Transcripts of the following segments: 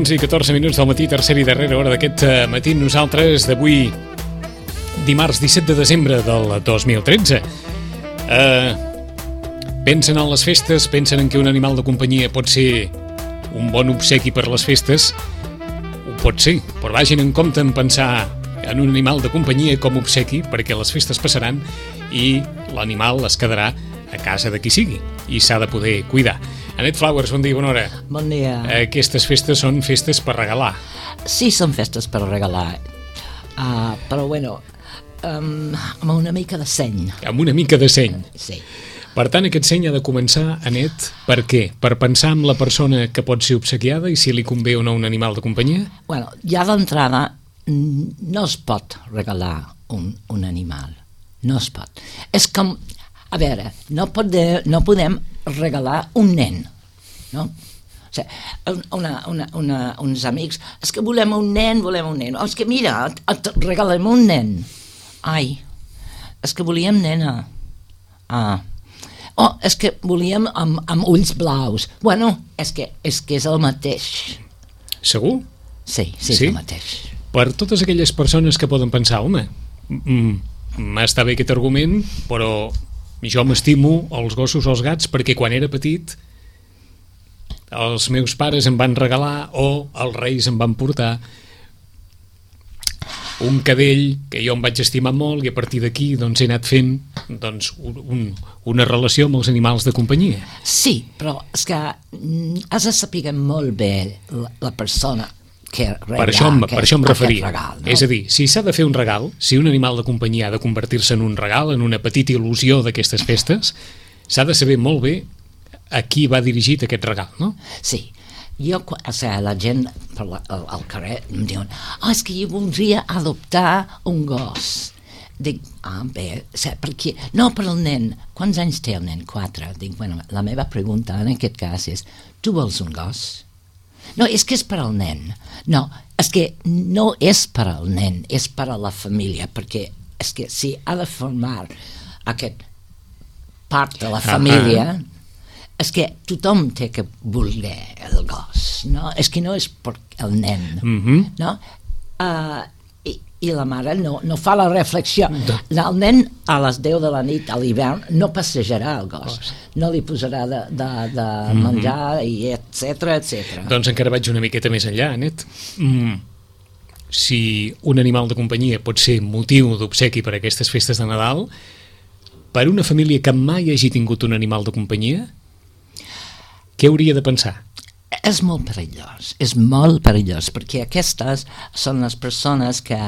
I 14 minuts del matí, tercera i darrera hora d'aquest matí. Nosaltres d'avui, dimarts 17 de desembre del 2013. Pensen en les festes, pensen en que un animal de companyia pot ser un bon obsequi per les festes. Ho pot ser, però vagin en compte en pensar en un animal de companyia com obsequi, perquè les festes passaran i l'animal es quedarà a casa de qui sigui i s'ha de poder cuidar. Anet Flowers, bon dia, bona hora. Bon dia. Aquestes festes són festes per regalar. Sí, són festes per regalar, però bueno, amb una mica de seny. Amb una mica de seny. Sí. Per tant, aquest seny ha de començar, Anet, per què? Per pensar en la persona que pot ser obsequiada i si li convé o no un animal de companyia? Bueno, ja d'entrada no es pot regalar un animal. No es pot. És com, a veure, no podem regalar un nen, no? O sigui, uns amics, és que volem un nen, és que mira, et regalem un nen. Ai, és que volíem nena. És que volíem amb ulls blaus. Bueno, és que és el mateix. Segur? Sí, és el mateix. Per totes aquelles persones que poden pensar, home, m'està bé aquest argument, però jo m'estimo els gossos o els gats perquè quan era petit els meus pares em van regalar o els reis em van portar un cadell que jo em vaig estimar molt i a partir d'aquí doncs, he anat fent doncs, una relació amb els animals de companyia. Sí, però és que has de saber molt bé la persona que per això em referia. Regal, no? És a dir, si s'ha de fer un regal, si un animal de companyia ha de convertir-se en un regal, en una petita il·lusió d'aquestes festes, s'ha de saber molt bé a qui va dirigit aquest regal, no? Sí. La gent al carrer em diuen és que jo voldria adoptar un gos. Dic, bé, perquè... No, per el nen. Quants anys té el nen? 4. Dic, bueno, la meva pregunta en aquest cas és, tu vols un gos? No, és que és per al nen. No, és que no és per al nen, és per a la família, perquè és que si ha de formar aquest part de la família, és que tothom té que voler el gos, no? És que no és per el nen, no? I la mare no fa la reflexió. El nen a les 10 de la nit a l'hivern no passejarà el gos, no li posarà de menjar i etcètera. Doncs encara vaig una miqueta més enllà, Anet. Si un animal de companyia pot ser motiu d'obsequi per a aquestes festes de Nadal, per una família que mai hagi tingut un animal de companyia, què hauria de pensar? És molt perillós, perquè aquestes són les persones que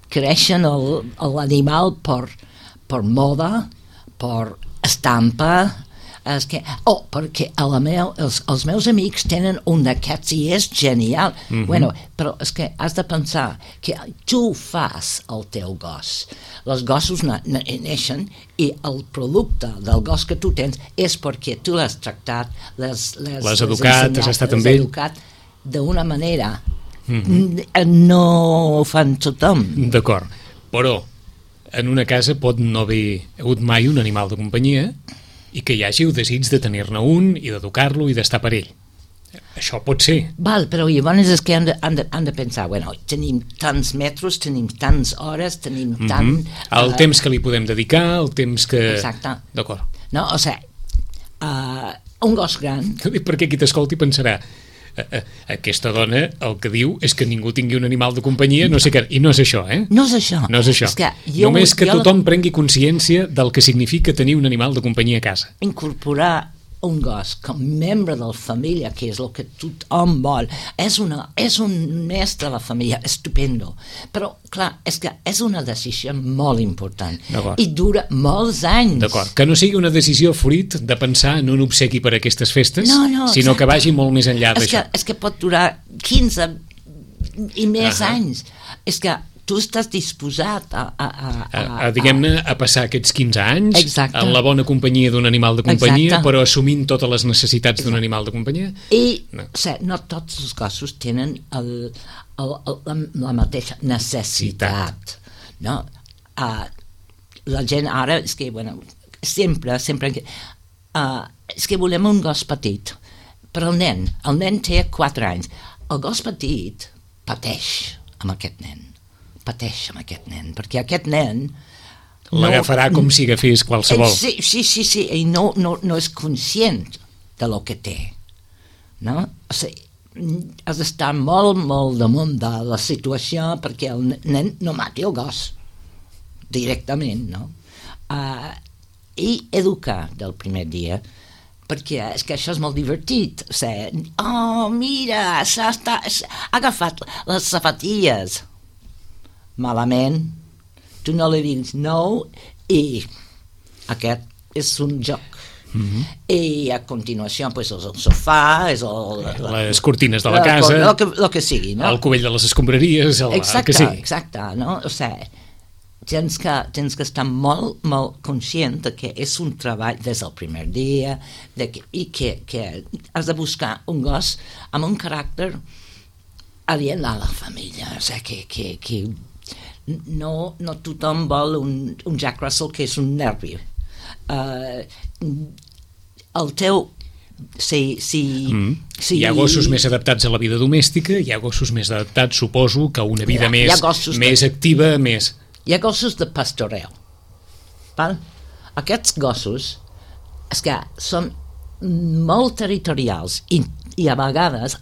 creixen l'animal per moda, per estampa, perquè els meus amics tenen un d'aquests i és genial. Bueno, però és que has de pensar que tu fas el teu gos. Els gossos neixen i el producte del gos que tu tens és perquè tu l'has tractat, l'has educat, has estat amb ell d'una manera. No ho fan tothom. D'acord, però en una casa pot no haver hagut mai un animal de companyia i que hi hagi el desig de tenir-ne un i d'educar-lo i d'estar per ell. Això pot ser. Però llavors és que han de pensar, bueno, tenim tants metres, tenim tants hores, tenim tant... El temps que li podem dedicar, el temps que... Exacte. D'acord. No, o sigui, un gos gran... Perquè qui t'escolti pensarà aquesta dona el que diu és que ningú tingui un animal de companyia, no sé què, i no és això, No és això. No és això. Només que tothom prengui consciència del que significa tenir un animal de companyia a casa. Incorporar un gos com membre de la família, que és el que tothom vol, és un mestre de la família, estupendo, però clar, és que és una decisió molt important i dura molts anys. D'acord, que no sigui una decisió fruit de pensar en un obsequi per a aquestes festes, no, sinó que vagi molt més enllà d'això. És que pot durar 15 i més anys. És que tu estàs disposat diguem-ne, a passar aquests 15 anys exacte. En la bona companyia d'un animal de companyia, exacte. Però assumint totes les necessitats d'un animal de companyia. I no tots els gossos tenen la mateixa necessitat. No? La gent ara és que, bueno, sempre és que volem un gos petit, però el nen té 4 anys. El gos petit pateix amb aquest nen, perquè aquest nen l'agafarà com si agafés qualsevol. Sí, i no és conscient de lo que té, no? O sigui, has d'estar molt damunt de la situació perquè el nen no mati el gos directament, no? I educar del primer dia, perquè és que això és molt divertit. O sigui, mira, ha agafat les sapatilles malament, tu no li diguis no, i aquest és un joc. I a continuació pues, és el sofà, és les cortines de la casa, el que sigui, no? El cubell de les escombraries, el que sigui. Exacte, no? O sigui, tens que estar molt conscient de que és un treball des del primer dia i que has de buscar un gos amb un caràcter adient a la família. O sigui, que no tothom vol un Jack Russell que és un nervi. El teu... Hi ha gossos més adaptats a la vida domèstica, hi ha gossos més adaptats, suposo, que a una vida més activa, més... Hi ha gossos de pastoreo. Val? Aquests gossos és que són molt territorials i a vegades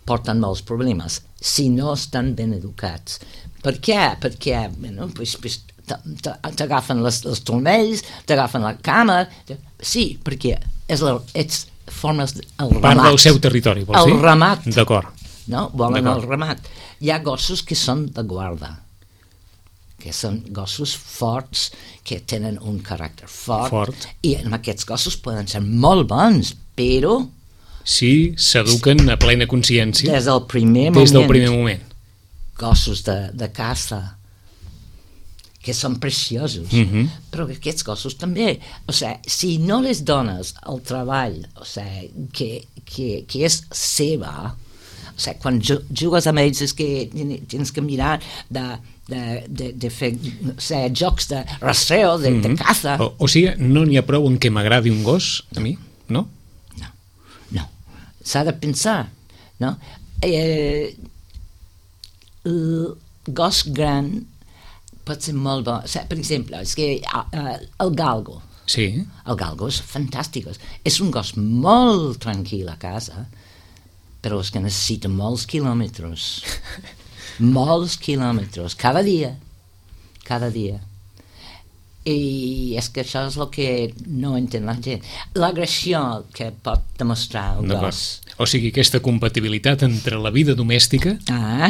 porten molts problemes si no estan ben educats. Per què? Perquè t'agafen els turmells, t'agafen la cama. Sí, perquè formes el ramat. Part del seu territori, vols dir? El ramat. D'acord. No? Volen el ramat. Hi ha gossos que són de guarda, que són gossos forts, que tenen un caràcter fort. I amb aquests gossos poden ser molt bons, però... Sí, s'eduquen a plena consciència. Des del primer moment. Gossos de caça, que són preciosos, però aquests gossos també. O sigui, si no les dones el treball, o sigui, que és seva, o sigui, quan jugues amb ells és que tens que mirar de fer jocs de rastreo, de caça. O sigui, no n'hi ha prou en què m'agradi un gos, a mi, no? No. S'ha de pensar, no? El gos gran pot ser molt bo. O sigui, per exemple, és que el galgo. Sí. El galgo és fantàstic. És un gos molt tranquil a casa, però és que necessita molts quilòmetres. Molts quilòmetres, cada dia. I és que això és el que no entén la gent. L'agressió que pot demostrar el gos. O sigui, aquesta compatibilitat entre la vida domèstica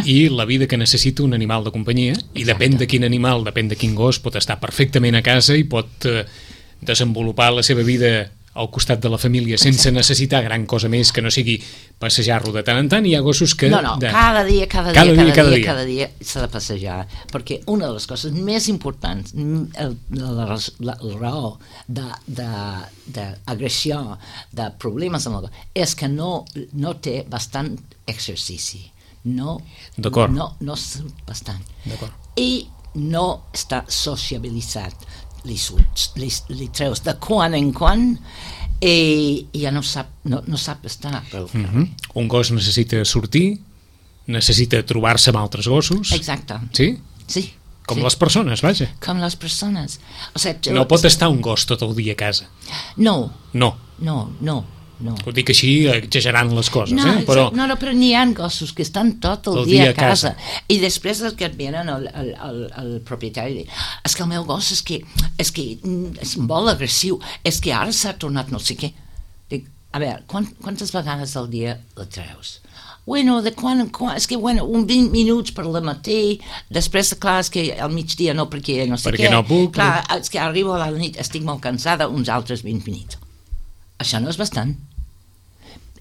i la vida que necessita un animal de companyia. I depèn de quin animal, depèn de quin gos, pot estar perfectament a casa i pot desenvolupar la seva vida al costat de la família sense necessitar gran cosa més que no sigui passejar-lo de tant en tant. Hi ha gossos que... Cada dia s'ha de passejar, perquè una de les coses més importants, la raó d'agressió, de problemes amb el gos, és que no té bastant exercici. No surt bastant. I no està sociabilitzat. Li treus de quan en quan i ja no sap estar pel carrer. Un gos necessita sortir, necessita trobar-se amb altres gossos. Exacte. Sí? Sí. Com les persones, vaja. Com les persones. O sigui, no pot estar un gos tot el dia a casa. No. no. Ho dic així exagerant les coses, però... No, però n'hi ha gossos que estan tot el dia a casa. I després els que et venen el propietari diu, és que el meu gos és que és molt agressiu, és que ara s'ha tornat no sé què. Dic, a veure, quantes vegades al dia la treus? Bueno, de quan en quan, és que un 20 minuts per la matí, després, clar, és que al migdia no, perquè no sé què. Perquè no puc. Clar, és que arribo a la nit, estic molt cansada, uns altres 20 minuts. Això no és bastant.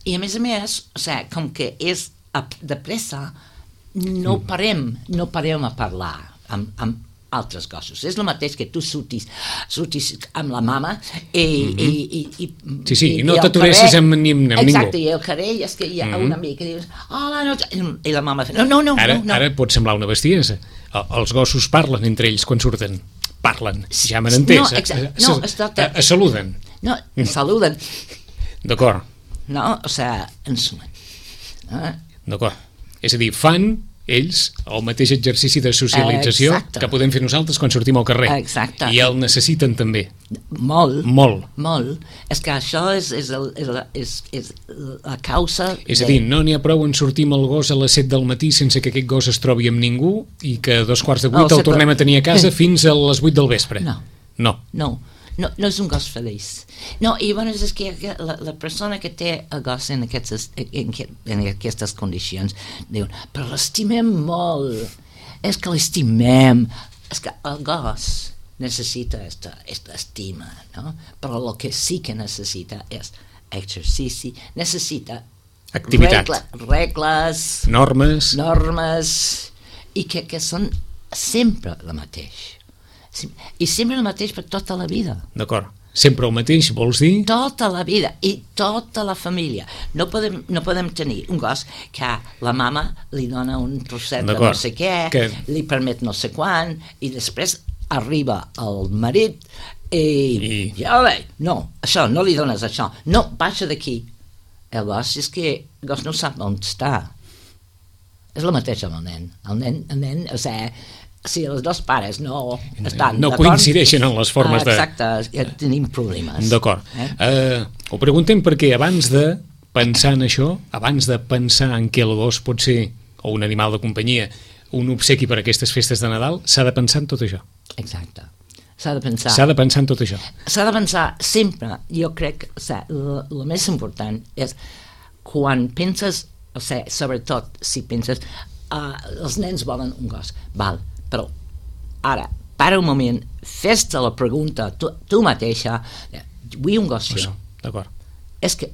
I a més, o sigui, com que és de pressa, no parem a parlar amb altres gossos. És el mateix que tu surtis amb la mama i sí, i no t'aturessis amb ningú. Exacte, i el carrer és que hi ha un amic que dius, hola, no, i la mama fa, no. Ara pot semblar una bestiesa. Els gossos parlen entre ells quan surten. Parlen, ja m'han entès. Es saluden. No, saluden. D'acord. No, o sigui, ens sumen. D'acord. És a dir, fan ells el mateix exercici de socialització que podem fer nosaltres quan sortim al carrer. Exacte. I el necessiten també. Molt. És que això és la causa... És a dir, no n'hi ha prou en sortir amb el gos a les 7 del matí sense que aquest gos es trobi amb ningú i que a 7:15 el tornem a tenir a casa fins a les 8 del vespre. No, és un gos feliç. No, i llavors és que la persona que té el gos en aquestes condicions diuen, però l'estimem molt, és que l'estimem, és que el gos necessita esta estima, no? Però el que sí que necessita és exercici, necessita activitat, regles, normes, i que són sempre el mateix. I sempre el mateix per tota la vida. D'acord. Sempre el mateix, vols dir? Tota la vida i tota la família. No podem tenir un gos que la mama li dona un trosset de no sé què, li permet no sé quan, i després arriba el marit i no, això, no li dones això. No, baixa d'aquí. El gos és que el gos no sap on està. És el mateix amb el nen. El nen, o sigui, si els dos pares no estan no coincideixen en les formes de... Exacte, ja tenim problemes. D'acord. Ho preguntem perquè abans de pensar en això, abans de pensar en què el gos pot ser, o un animal de companyia, un obsequi per a aquestes festes de Nadal, s'ha de pensar en tot això. Exacte. S'ha de pensar. S'ha de pensar en tot això. S'ha de pensar sempre, jo crec, el més important és quan penses, o sigui, sobretot si penses, els nens volen un gos, val, però ara, para un moment, fes-te la pregunta tu mateixa, vull un gos jo. D'acord. És que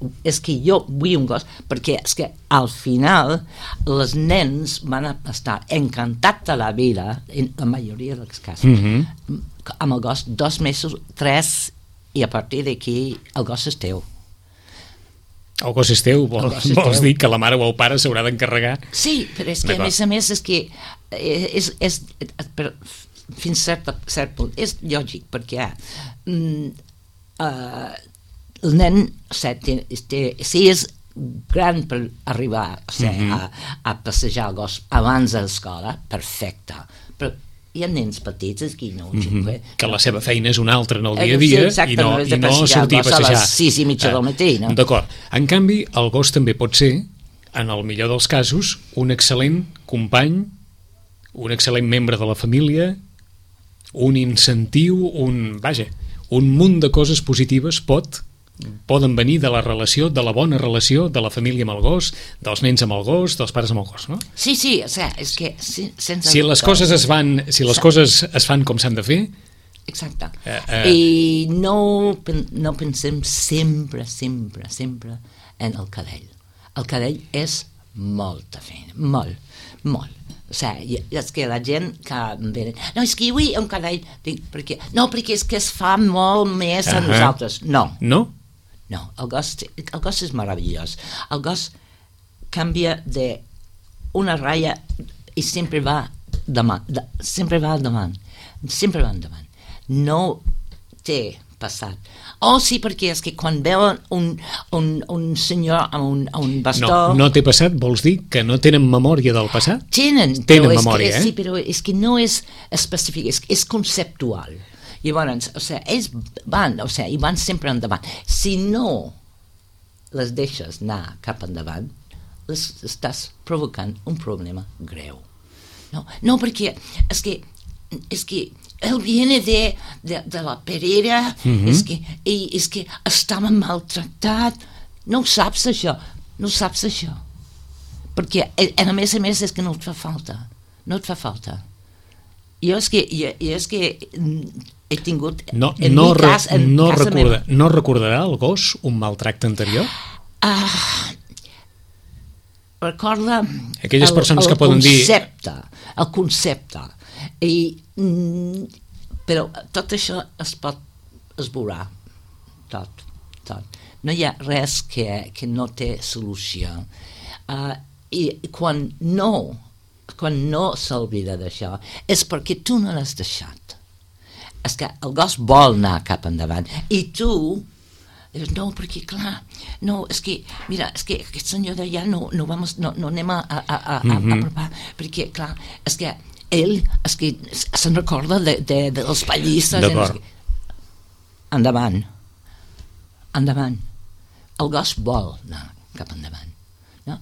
jo vull un gos perquè és que al final els nens van estar encantats de la vida en la majoria dels casos amb el gos 2 mesos, 3, i a partir d'aquí el gos és teu. El gos és teu, vols dir que la mare o el pare s'haurà d'encarregar? Sí, però és que a més és que fins a cert punt és lògic, perquè el nen, si és gran per arribar a passejar el gos abans de l'escola, perfecte, però hi ha nens petits aquí, no? Que la seva feina és una altra en el dia a dia i no sortir a passejar a les 6:30 del matí, no? D'acord. En canvi, el gos també pot ser, en el millor dels casos, un excel·lent company, un excel·lent membre de la família, un incentiu, un munt de coses positives poden venir de la relació, de la bona relació de la família amb el gos, dels nens amb el gos, dels pares amb el gos, no? Sí, o sigui, és que sense... Si les coses es fan com s'han de fer... Exacte. I no pensem sempre en el cadell. El cadell és molta feina, molt. O sigui, és que la gent que ve... No, és que jo vull un cadell... perquè és que es fa molt més a nosaltres. No, el gos és meravellós. El gos canvia d'una ratlla i sempre va endavant. No té passat. Sí, perquè és que quan veuen un senyor amb un bastó... No té passat, vols dir que no tenen memòria del passat? Tenen memòria, sí, però és que no és específic, és conceptual. Llavors, ells van sempre endavant. Si no les deixes anar cap endavant, estàs provocant un problema greu. No, perquè és que él viene de la Perera, és que estava maltractat. No ho saps, això. Perquè, a més, és que no et fa falta. Jo és que he tingut... No recordarà el gos un maltracte anterior? Recorda aquelles persones que poden dir el concepte però tot això es pot esborrar tot. No hi ha res que no té solució, i quan no s'oblida d'això és perquè tu no l'has deixat. És que el gos vol anar cap endavant i tu dius, no, perquè clar, no, és que aquest senyor d'allà no anem a apropar, perquè clar, és que ell se'n recorda dels pallisses. D'acord. Endavant. El gos vol anar cap endavant. No?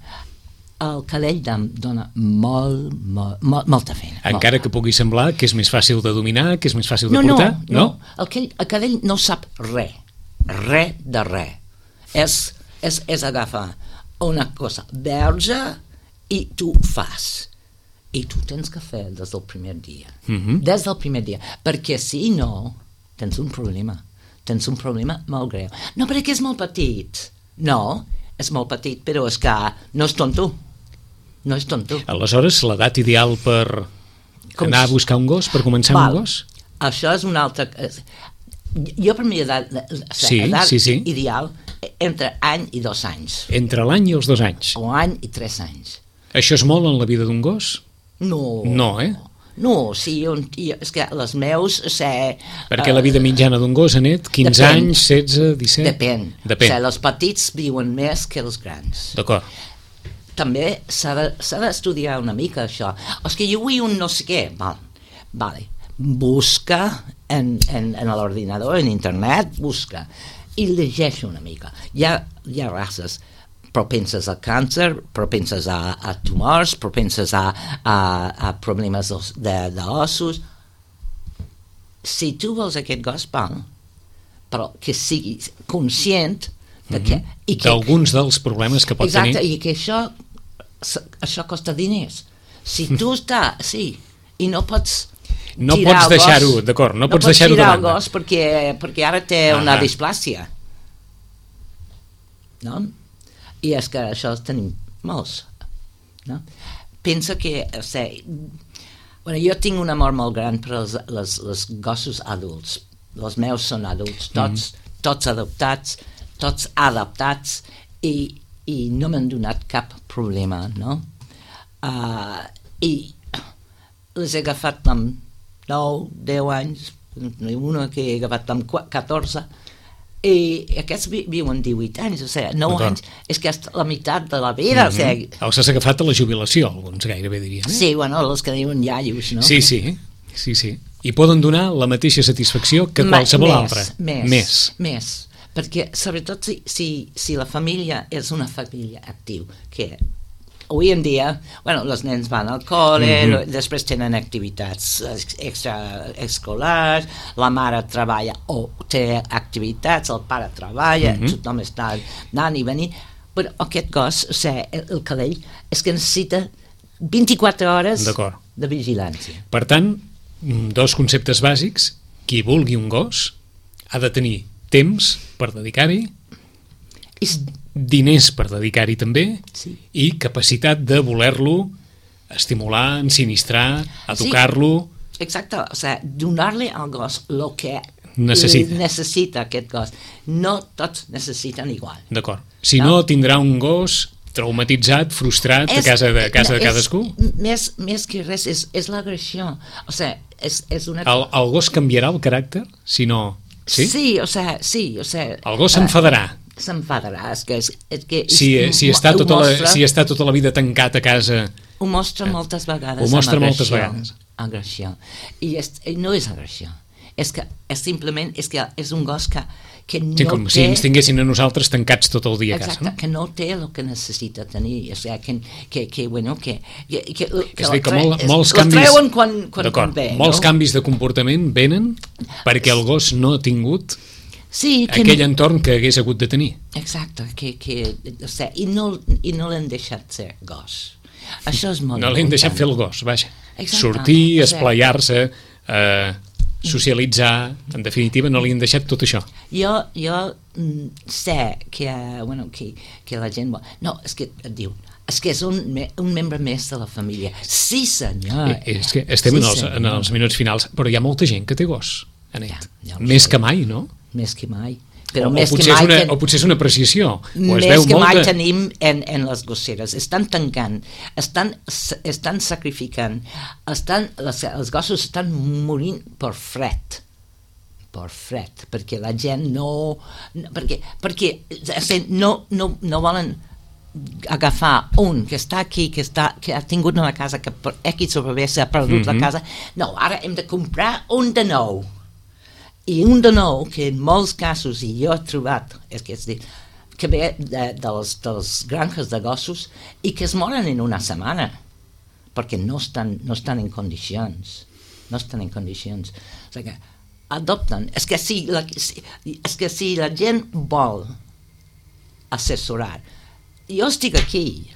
El cadell dona molta feina. Encara que pugui semblar que és més fàcil de dominar, que és més fàcil de portar? No. El cadell no sap res de res. És agafar una cosa verge i tu fas. I tu tens que fer des del primer dia. Des del primer dia. Perquè si no, tens un problema. Tens un problema molt greu. No perquè és molt petit. No, és molt petit, però és que no és tonto. Aleshores, l'edat ideal per anar a buscar un gos, per començar amb un gos? Això és una altra... Jo per mi edat ideal entre any i 2 anys. Entre l'any i els 2 anys? O any i 3 anys. Això és molt en la vida d'un gos? No. No, No, sí, és que les meus... Perquè la vida mitjana d'un gos, Anet, 15 anys, 16, 17... Depèn. Els petits viuen més que els grans. D'acord. També s'ha d'estudiar una mica això. És que jo vull un no sé què. Vale. Busca en l'ordinador, en internet, busca i llegeix una mica. Hi ha races propenses al càncer, propenses a tumors, propenses a problemes d'ossos. Si tu vols aquest gos, però que siguis conscient d'alguns dels problemes que pot tenir. Exacte, i que això costa diners. Si tu i no pots deixar-ho, d'acord, no pots deixar-ho de banda. No pots tirar el gos perquè ara té una displàsia. No? I és que això tenim molts. No? Pensa que... jo tinc un amor molt gran per els gossos adults. Els meus són adults, tots adaptats, i no m'han donat cap problema, no? I les he agafat amb 9, 10 anys, una que he agafat amb 14, i aquests viuen 18 anys, 9 anys, és que és la meitat de la vida. Els has agafat a la jubilació, alguns gairebé dirien. Sí, els que diuen iaios, no? Sí. I poden donar la mateixa satisfacció que qualsevol altra. Més. Perquè, sobretot, si la família és una família activa, que avui en dia, els nens van al col·le, després tenen activitats extraescolars, la mare treballa o té activitats, el pare treballa, tothom està anant i venint, però aquest gos, el cadell, és que necessita 24 hores de vigilància. Per tant, 2 conceptes bàsics: qui vulgui un gos ha de tenir temps per dedicar-hi, diners per dedicar-hi també, i capacitat de voler-lo estimular, ensinistrar, educar-lo. Exacte, donar-li al gos el que necessita aquest gos. No tots necessiten igual. D'acord. Si no, tindrà un gos traumatitzat, frustrat a casa de cadascú? Més que res, és l'agressió. És una... El gos canviarà el caràcter? Si no... Sí? Sí. El gos s'enfadarà. Si està tota la vida tancat a casa... Ho mostra moltes vegades. Agressió. I no és agressió. és que és un gos que no sí, com té... si ens tinguessin a nosaltres tancats tot el dia a casa. Exacte, que no té el que necessita tenir. O sigui, que és a dir, que molts canvis... treuen quan ve, molts canvis de comportament venen perquè el gos no ha tingut aquell entorn que hagués hagut de tenir. Exacte, i no l'han deixat ser gos. Això és molt important. No l'han deixat fer el gos, vaja. Exacte. Sortir, esplaiar-se, socialitzar, en definitiva no li han deixat tot això. Jo sé que la gent... No, és que et diu, és que és un membre més de la família. Sí, senyor. És que estem en els minuts finals, però hi ha molta gent que té gos, Anet. Ja més que mai, no? Més que mai. Però o potser és una apreciació. Més que mai tenim en les gosseres. Estan tancant, estan sacrificant, els gossos estan morint per fred, perquè la gent perquè no volen agafar un que està aquí, que ha tingut una casa, que per X o per B s'ha perdut la casa. No, ara hem de comprar un de nou. I un de nou, que en molts casos, i jo he trobat, que ve dels granges de gossos i que es moren en una setmana perquè no estan en condicions. No estan en condicions. O sigui que adopten. És que si la gent vol assessorar, jo estic aquí,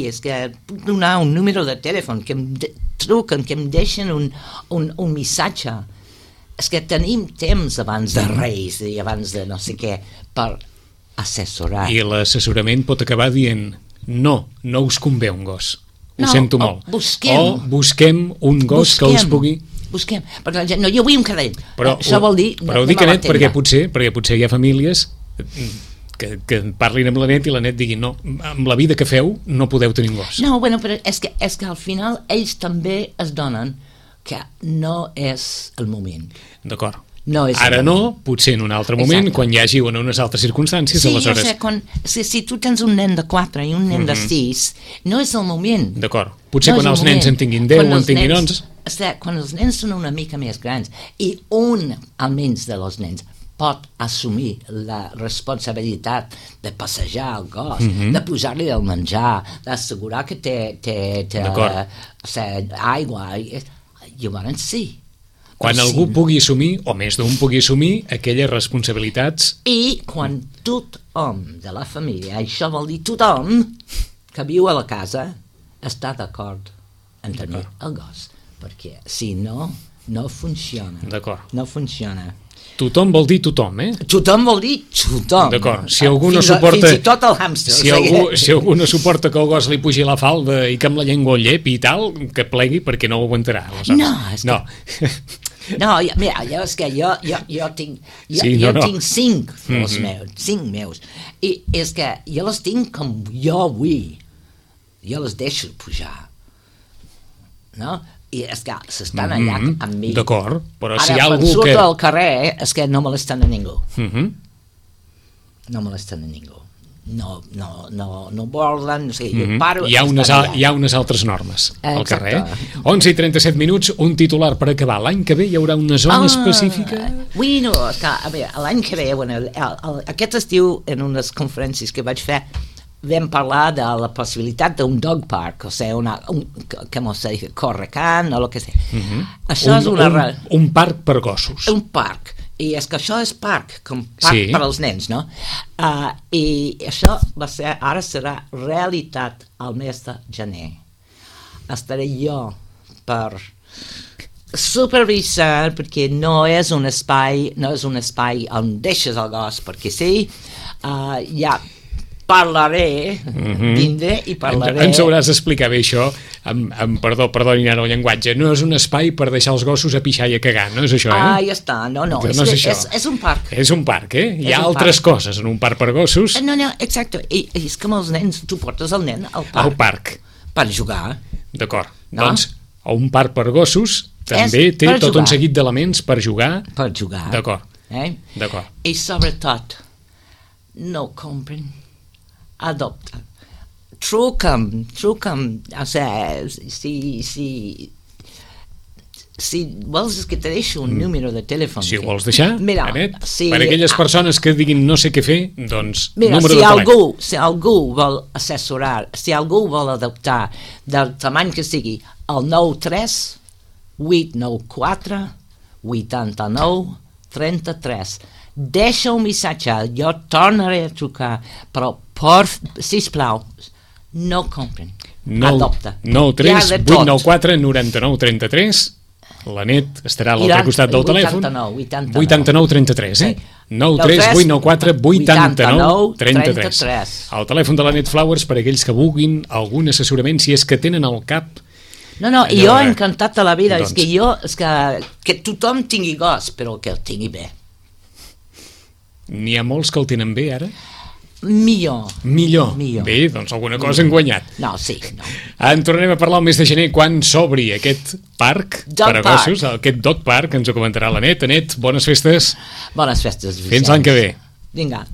és que puc donar un número de telèfon, que em truquen, que em deixen un missatge. És que tenim temps abans de Reis i abans de no sé què per assessorar. I l'assessorament pot acabar dient no us convé un gos. Ho sento molt. Busquem un gos que us pugui... Busquem. Perquè la gent, no, jo vull un cadell. Això vol dir... Però ho dic, Anet, perquè potser hi ha famílies que parlin amb la Net i la Net digui no, amb la vida que feu no podeu tenir un gos. No, bueno, però és que al final ells també es donen que no és el moment. D'acord. No ara no, potser en un altre moment, exacte, quan hi hagi unes altres circumstàncies, sí, aleshores... Sí, si tu tens un nen de 4 i un nen de 6, no és el moment. D'acord. Potser quan els nens en tinguin 10 o en tinguin 11... Quan els nens són una mica més grans i almenys de los nens, pot assumir la responsabilitat de passejar el gos, de posar-li el menjar, d'assegurar que té aigua... Llavors sí. Quan algú pugui assumir, o més d'un pugui assumir, aquelles responsabilitats... I quan tothom de la família, això vol dir tothom que viu a la casa, està d'acord en tenir el gos. Perquè si no, no funciona. D'acord. No funciona. Tothom vol dir tothom, eh? Tothom vol dir tothom. D'acord. Si algú no suporta... Fins i tot el hàmster. Si algú no suporta que el gos li pugi la falda i que amb la llengua el llepi i tal, que plegui perquè no ho aguantarà. No, és que... No, mira, és que jo tinc... Jo tinc 5 dels meus, 5 meus. I és que jo les tinc com jo vull. Jo les deixo pujar. No? I és que s'estan allà amb mi. D'acord, però ara, si hi ha algú que... Ara, quan surto al carrer, és que no molesten a ningú. No molesten a ningú. No volen, o sigui, jo paro... Hi ha unes altres normes al carrer. 11 i 37 minuts, un titular per acabar. L'any que ve hi haurà una zona específica? Bueno, a veure, l'any que ve, aquest estiu, en unes conferències que vaig fer, vam parlar de la possibilitat d'un dog park, o sigui, com se dice, Correcant, o el que sé. Això és un parc per gossos. Un parc. I és que això és parc, com parc per als nens, no? I això ara serà realitat al mes de gener. Estaré jo per supervisar, perquè no és un espai on deixes el gos, perquè sí, ja parlaré, vindré i parlaré... Ens hauràs d'explicar bé això, perdonin ara el llenguatge, no és un espai per deixar els gossos a pixar i a cagar, no és això, eh? Ja està, no, és un parc. És un parc, eh? Hi ha altres coses en un parc per gossos. No, exacte, i és com els nens, tu portes el nen al parc. Al parc. Per jugar. D'acord, doncs, un parc per gossos també té tot un seguit d'elements per jugar. Per jugar. D'acord. D'acord. I sobretot, no compren, adopta. Truca'm, o sigui, si si vols que te deixo un número de telèfon. Si ho vols deixar, mira, Anet, per aquelles persones que diguin no sé què fer, doncs mira, número de telèfon. Si algú vol assessorar, si algú vol adoptar del tamany que sigui, el 93 894 89 33. Deixa un missatge, jo tornaré a trucar, però sisplau, no compren, adopta. 93 894 99 33. L'Anet estarà a l'altre costat del telèfon. 89 33, eh? 93 894 89 33. El telèfon de l'Anet Flowers per aquells que vulguin algun assessorament, si és que tenen al cap. No, jo he encantat de la vida, doncs. És que tothom tingui gos, però que el tingui bé. N'hi ha molts que el tenen bé, ara? Millor. Bé, doncs alguna cosa hem guanyat. No, sí. No. En tornarem a parlar el mes de gener quan s'obri aquest parc per a gossos, aquest dog park, ens ho comentarà l'Anet. Anet, bones festes. Bones festes, Vicenç. Fins l'any que ve. Vinga.